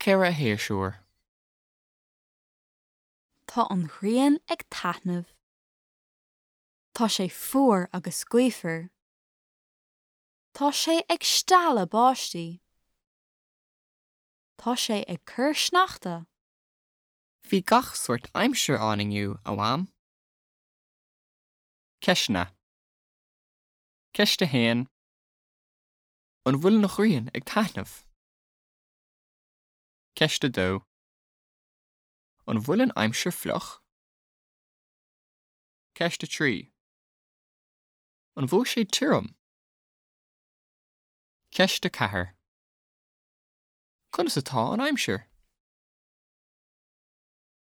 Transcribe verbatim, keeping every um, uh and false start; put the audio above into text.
Ceithre shéasúr. Tá an ghrian ag taitneamh. Tá sé fuar agus gaofar. Tá sé ag stealladh báistí. Tá sé ag cur sneachta. Bhí gach sórt aimsir ann inniu, a Mham. Ceisteanna. Ceist a haon. An bhfuil an ghrian ag taitneamh? Ceist a dó. An bhfuil an aimsir fliuch? Ceist a trí. An bhfuil sé tirim? Ceist a ceathair. Conas atá an aimsir?